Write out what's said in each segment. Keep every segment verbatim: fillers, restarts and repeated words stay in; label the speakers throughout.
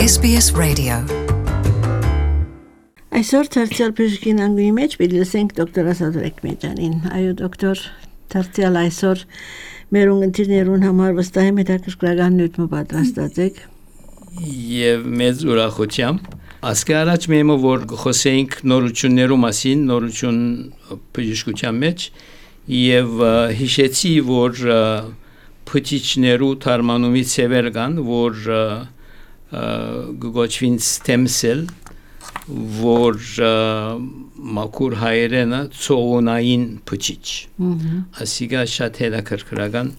Speaker 1: S B S Radio.
Speaker 2: Այսօր Թերթիալ բժշկին անգույի մեջ պիտի լսենք դոկտոր Ասադ Ռեկմեջանին։ Այո դոկտոր, Թերթիալ այսօր մեր ունգընտիրներուն համար վստահ եմ հետաքրքրական նյութ պատրաստած եք։
Speaker 3: Եվ մեծ ուրախությամբ ասկե առաջ մեմը որ խոսեինք նորություններու մասին, նորություն բժշկության մեջ եւ հիշեցի որ փոթիչներու թարմանումի ծևեր կան, որ գոչվին stem cell, որ մաքուր հայերենը ծողունային փոթիչ։ Ասիգա շատ հետաքրքրական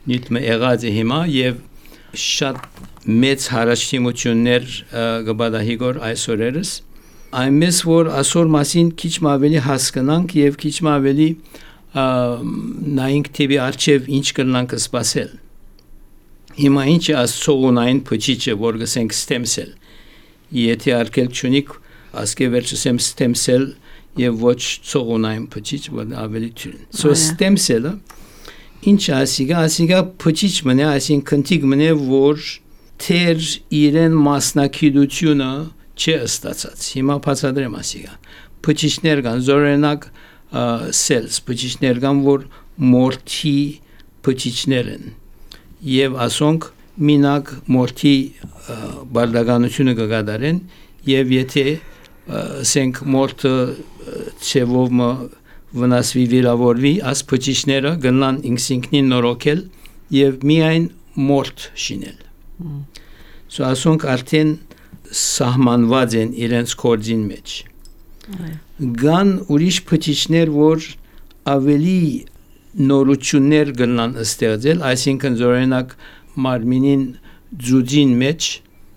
Speaker 3: նյութ մը եղած է հիմա եւ շատ մեծ հարաշտիմություններ գբադահիգոր այսօրերս այնպես որ այսօր մասին քիչ ավելի հասկանանք եւ քիչ ավելի նայենք տիպի արչեւ ինչ կնանք սպասել հիմա ինչ է ծողունային փոթիչը որ գսենք stem cell եթե արկել չունիք ասկե վերջսեմ stem cell եւ ոչ ծողունային փոթիչ որ ավելի թույն so stem cell-ը ինչ ասիգա ասիգա փոթիչ մնե այսինքն քնտիկ մնե որ թեր իրեն մասնակցությունը չստացած հիմա բացադրեմ ասիգա փոթիչներ կան զորենակ cells փոթիչներ կան որ մորթի փոթիչներ են եւ ասոնք մինակ մորթի բարդականությունը կգադարեն եւ եթե ասենք մորթը չեվով վնասվի վիրավորվի աս փոթիչները գնան ինքնին նորոգել եւ միայն մորթ շինել so ասոնք արդեն սահմանված են իրենց կորձին մեջ գան ուրիշ փոթիչներ որ ավելի նորություններ գնան ստեղծել այսինքն զորենակ մարմինին ձուծին մեջ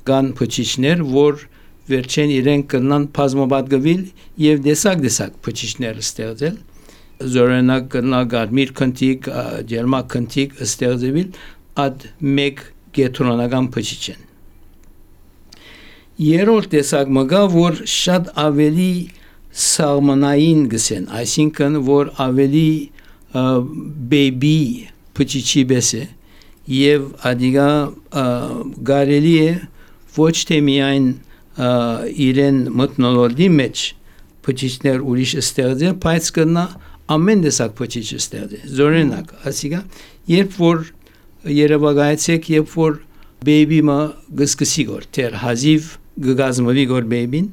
Speaker 3: կան փոթիչներ որ վերջեն իրենք կնան բազմապատկվել եւ դեսակ-դեսակ փոթիչներ ստեղծել զորենակ կնա գարմիր քնտիկ ջերմակ քնտիկ ստեղծվել ադ մեկ կենտրոնական փոթիչ են երրորդ տեսակ մգա որ շատ ավելի սաղմնային գսեն այսինքն որ ավելի baby փոթիչի պես է եւ ադիգա գարելի է ոչ թե միայն իրեն մտնոլորտի մեջ փոթիչներ ուրիշ ստեղծել բայց կնա ամեն տեսակ փոթիչ ստեղծել զորենակ ասիգա երբ որ երևակայեցեք երբ որ baby-ը գսկսի գոր թեր հազիվ գգազմվի գոր baby-ին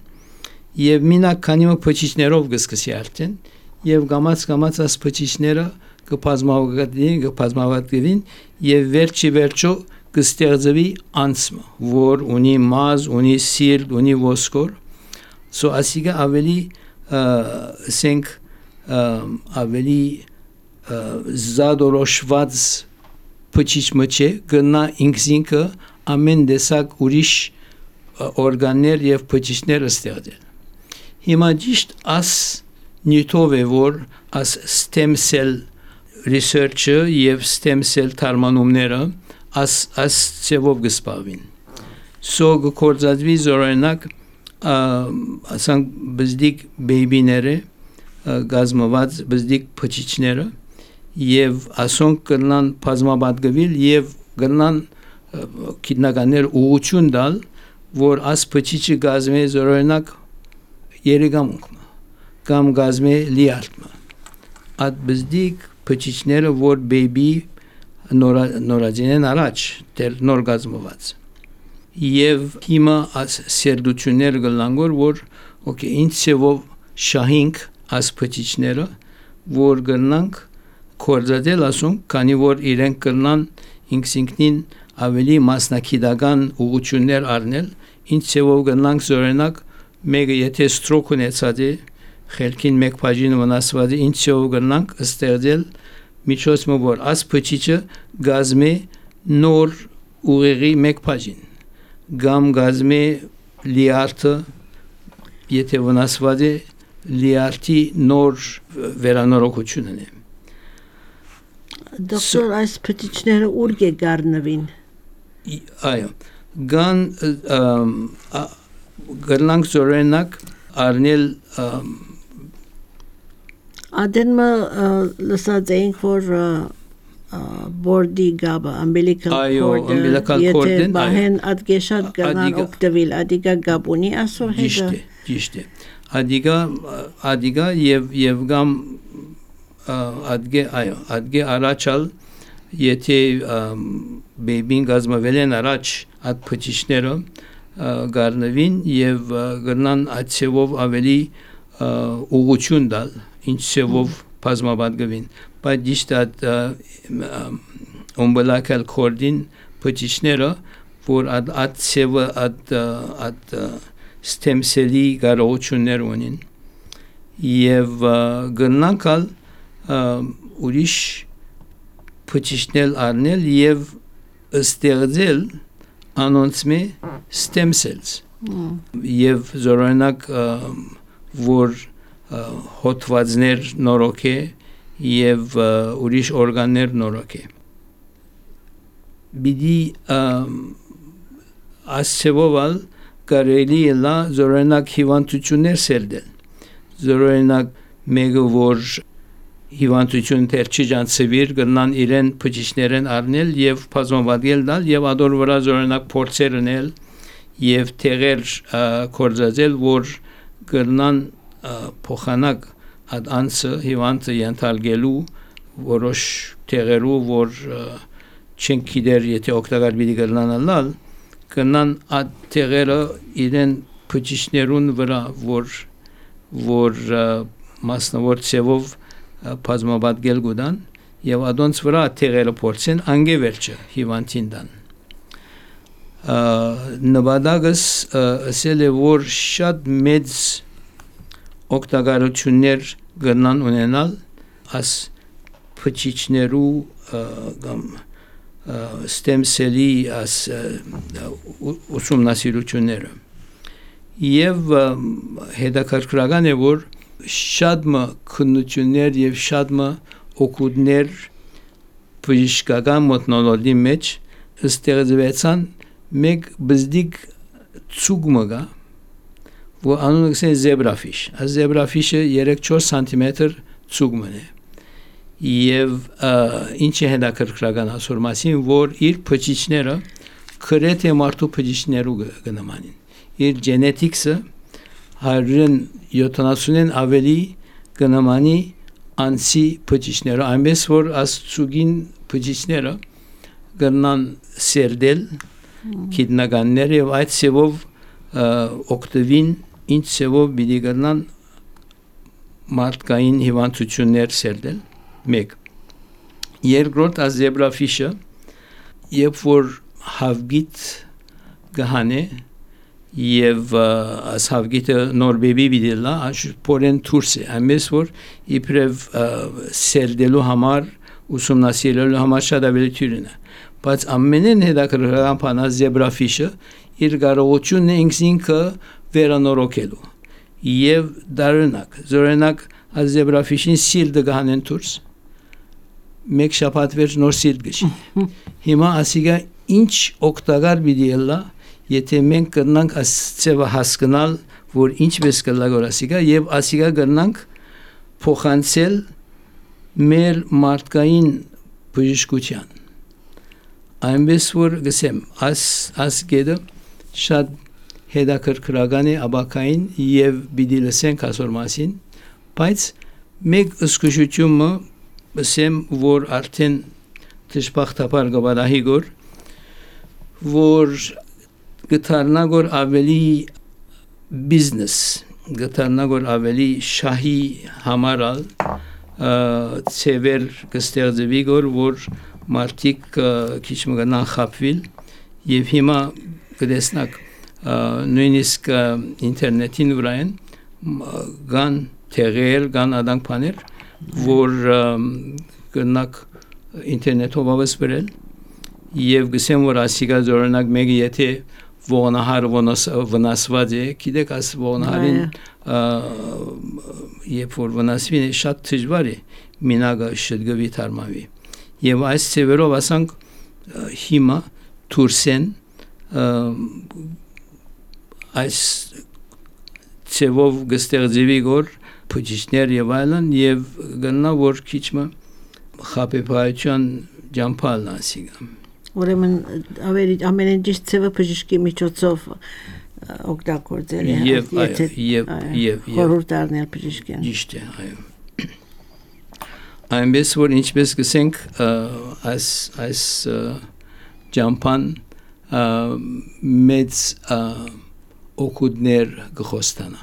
Speaker 3: եւ մինակ քանի փոթիչներով գսկսի արդեն եւ գամած գամած աս փոթիչները կբազմավգատին կբազմավգատին եւ վերջի վերջո կստեղծվի անցմը որ ունի մազ ունի սիրտ ունի ոսկոր so ասիգա ավելի ասենք ավելի զադորոշված փոթիչ մոչե գնա ինքզինքը ամեն տեսակ ուրիշ օրգաններ եւ փոթիչներ ստեղծել հիմա ճիշտ աս նյութով է որ աս stem cell research-ը եւ stem cell թարմանումները աս աս ծևով գսպավին so գործածվի զորենակ ասանք բզդիկ baby-ները գազմված բզդիկ փոթիչները եւ ասոնք կնան բազմապատկվել եւ կնան քիդնականներ ուղղություն տալ որ աս փոթիչը գազմե զորենակ երեգամունք կամ գազմե լիարտը այդ բզդիկ փոթիչները որ baby նորաձինեն առաջ դեր նոր գազմված եւ հիմա աս սերդություններ գլանգոր որ օքեյ ինչ ծևով շահինք աս փոթիչները որ գնանք կորզադել ասում քանի որ իրենք կնան ինքնին ավելի մասնակիտական ուղղություններ առնել ինչ ծևով գնանք զորենակ մեկը եթե ստրոք ունեցած է խելքին մեկ բաժին վնասված է ինչ ծևով գնանք ստեղծել միջոցը որ աս փոթիչը գազմե նոր ուղեղի մեկ բաժին գամ գազմե լիարտը եթե վնասված է լիարտի նոր վերանորոգությունն է
Speaker 2: Դոկտոր այս փոթիչները ուր կգառնվին
Speaker 3: այո գան գրանք զորենակ առնել
Speaker 2: Ադենմը լսած էինք որ բորդի գաբը, umbilical cord, եթե բահեն ադգեշատ գնան օգտվել, ադիգա գաբ ունի ասոր հետը։
Speaker 3: Ճիշտ է, ճիշտ է։ Ադիգա, ադիգա եւ եւ գամ ադգե, այո, ադգե առաջալ, եթե բեբին գազմավել են առաջ այդ փչիչները գարնվին եւ գնան այդ ցևով ավելի ուղղություն տալ, ինչ ցևով բազմապատկվին։ Բայց ճիշտ այդ umbilical cord-ին փչիչները, որ այդ ցևը այդ այդ stem cell-ի կարողություններ ունին եւ գնանքալ ուրիշ փչիչներ առնել եւ ստեղծել անոնցմե stem cells եւ զորօրինակ որ հոդվածներ նորոգ է եւ ուրիշ օրգաններ նորոգ է բիդի ասցեվալ կարելի է լա զորօրինակ հիվանդություններ սերդել զորօրինակ մեկը որ հիվանդություն թերչի ջանցվիր գնան իրեն փչիչներեն առնել եւ բազմապատկել դալ եւ ադոր վրա զորօրինակ փորձեր ունել եւ տեղեր կորզածել որ գնան փոխանակ այդ անձը հիվանդը ենթարկելու որոշ տեղերու որ չեն գիտեր եթե օգտակար պիտի գնանալ գնան այդ տեղերը իրեն փչիչներուն վրա որ որ մասնավոր ցևով բազմապատկել գուտան եւ ադոնց վրա տեղերը փորձեն անգևերջը հիվանդին դան նվադագս ասել է որ շատ մեծ օգտակարություններ գնան ունենալ աս փչիչներու կամ stem cell-ի աս ուսումնասիրությունները եւ հետաքրքրական է որ շատ մը քննություններ եւ շատ մը օգուտներ բժշկական մթնոլորտի մեջ ստեղծվեցան մեկ բզդիկ ցուգմագա որ անունը կսեն զեբրաֆիշ այս զեբրաֆիշը երեք-չորս սանտիմետր ցուգմն է եւ ինչ է հետաքրքրական ասոր մասին որ իր փչիչները քրեթե մարդու փչիչներու գնամանին իր գենետիկսը հարյուն յոթանասունեն ավելի գնամանի անցի փչիչները այնպես որ ասցուգին փչիչները գնան սերդել քիդնականներ եւ այդ ցևով օկտավին ինչ ցևով բիդի գնան մարդկային հիվանդություններ սերդել մեկ երկրորդ az զեբրաֆիշը երբ որ հավգիտ գահանե եւ ասհավգիտը նոր բեբի բիդելա պորեն թուրս է ամես որ իբրև սերդելու համար ուսումնասիրելու համար շատ ավելի թյուրին է բայց ամենեն հետաքրքրական բանը զեբրաֆիշը իր կարողությունն է ինքնինքը վերանորոգելու եւ դարունակ զորենակ az զեբրաֆիշին սիլդը գանեն թուրս մեկ շաբաթ վերջ նոր սիլդ գշի հիմա ասիգա ինչ օգտակար բիդելա եթե մենք կրնանք ասցեվը հասկանալ, որ ինչպես կլագոր ասիգա եւ ասիգա կրնանք փոխանցել մեր մարդկային բժշկության։ Այնպես որ գսեմ, աս աս գեդը շատ հետաքրքրական է աբակային եւ պիտի լսենք ասոր մասին, բայց մեկ զգուշությունը ասեմ, որ արդեն դժբախտաբար գաբարահի գոր, որ գտարնագոր ավելի բիզնես, գտարնագոր ավելի շահի համարալ ծևեր կստեղծվի գոր, որ մարդիկ քիչ մգնան խապվիլ եւ հիմա կտեսնակ նույնիսկ ինտերնետին վրայեն գան տեղեր, գան ադանք բաներ, որ կնակ ինտերնետով ավսպրել եւ գսեմ որ ասիգա զորնակ մեկը եթե ողնահար վնասված է, գիտեք աս ողնահարին երբ որ վնասվին է շատ դժվար է մինագը շտկվի թարմավի եւ այս ծևերով ասանք հիմա թուրսեն այս ծևով գստեղծվի գոր փոճիչներ եւ այլն եւ գնա որ քիչմը խապեփայության ջամփալն ասիգա
Speaker 2: Ուրեմն ավելի ամենեն ճիշտ ծավը բժշկի միջոցով օգտագործել է
Speaker 3: եւ եւ եւ
Speaker 2: խորհուրդ առնել բժշկին
Speaker 3: ճիշտ է այո այնպես որ ինչպես գսենք այս այս ջամփան մեծ օգուտներ գխոստանա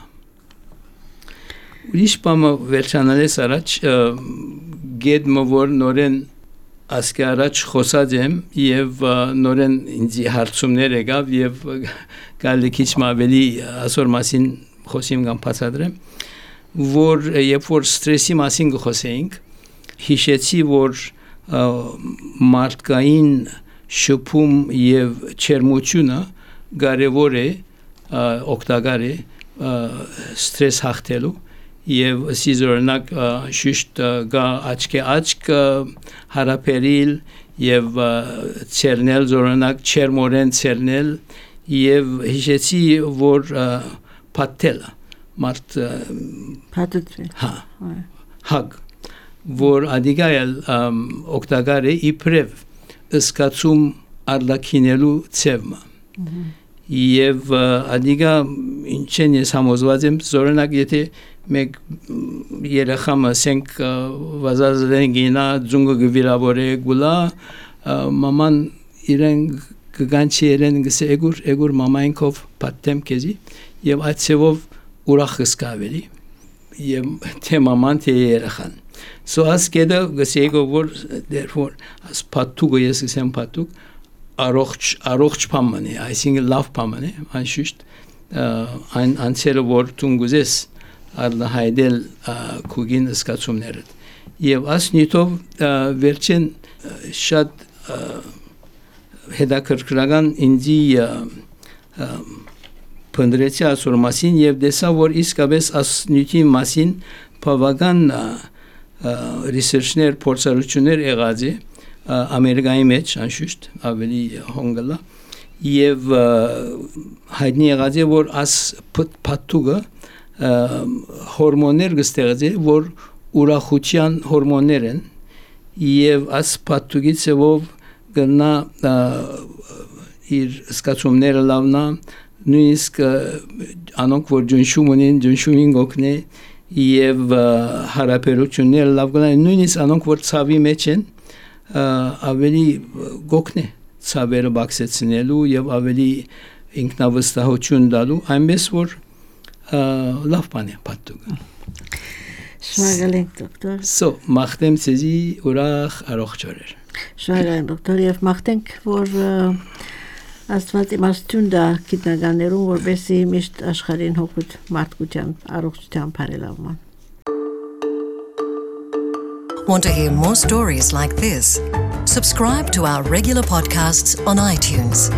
Speaker 3: ուրիշ բանը վերջանալիս առաջ գեդմը որ նորեն ասկի առաջ խոսած եմ եւ նորեն ինձ հարցումներ եկավ եւ գալի քիչ ավելի ասոր մասին խոսիմ կամ բացատրեմ որ երբ որ ստրեսի մասին խոսեինք հիշեցի որ մարդկային շփում եւ չերմությունը կարեւոր է օգտակար է ստրես հաղթելու եւ սիզորնակ շուշտ գա աչքի աչք հարաբերիլ եւ ցերնել զորնակ չերմորեն ցերնել եւ հիշեցի որ պատտել մարդ
Speaker 2: պատտել
Speaker 3: հա հագ որ ադիգայել օկտագարը իբրև ըսկացում արդակինելու ցևը եւ ադիգա ինչեն ես համոզված եմ զորնակ եթե մեկ երախամը սենք վազազեն գինա ձունգը գվիրավորե գուլա մաման իրեն գանչի իրեն գսե էգուր էգուր մամայինքով պատտեմ քեզի եւ այդ ցևով ուրախ կսկավելի եւ թե մաման թե երախան so as կեդը գսե էգո որ therefore as պատուգը ես գսեմ պատուգ առողջ առողջ փամանե այսինքն լավ փամանե անշուշտ այն անցերը որ տունգուզես Արլա հայդել կուգին ըսկացումները եւ ասնիտով վերջին շատ հետաքրքրական ինձի փնդրեցի ասոր մասին եւ դեսա որ իսկապես ասնյութի մասին բավական ռեսերչներ փորձառություններ եղած է Ամերիկայի մեջ անշուշտ ավելի հոնգլա եւ հայտնի եղած է որ աս փաթուգը հորմոններ գստեղծի որ ուրախության հորմոններ են եւ աս փաթուգից ով գնա իր սկացումները լավնա նույնիսկ անոնք որ ջնշում ունեն ջնշումին գոքնե եւ հարաբերությունները լավ գնա նույնիսկ անոնք որ ցավի մեջ են ավելի գոքնե ցավերը բացեցնելու եւ ավելի ինքնավստահություն տալու այնպես որ լավ բան է պատուգը
Speaker 2: Շնորհակալ ենք դոկտոր
Speaker 3: So մաղթեմ ցեզի ուրախ առողջ օրեր
Speaker 2: Շնորհակալ դոկտոր եւ մաղթենք որ Աստված իմաստուն դա գիտնականներուն որովհետեւ միշտ աշխարհին հոգուտ մարդկության առողջության բարելավման
Speaker 1: Want to hear more stories like this? Subscribe to our regular podcasts on iTunes.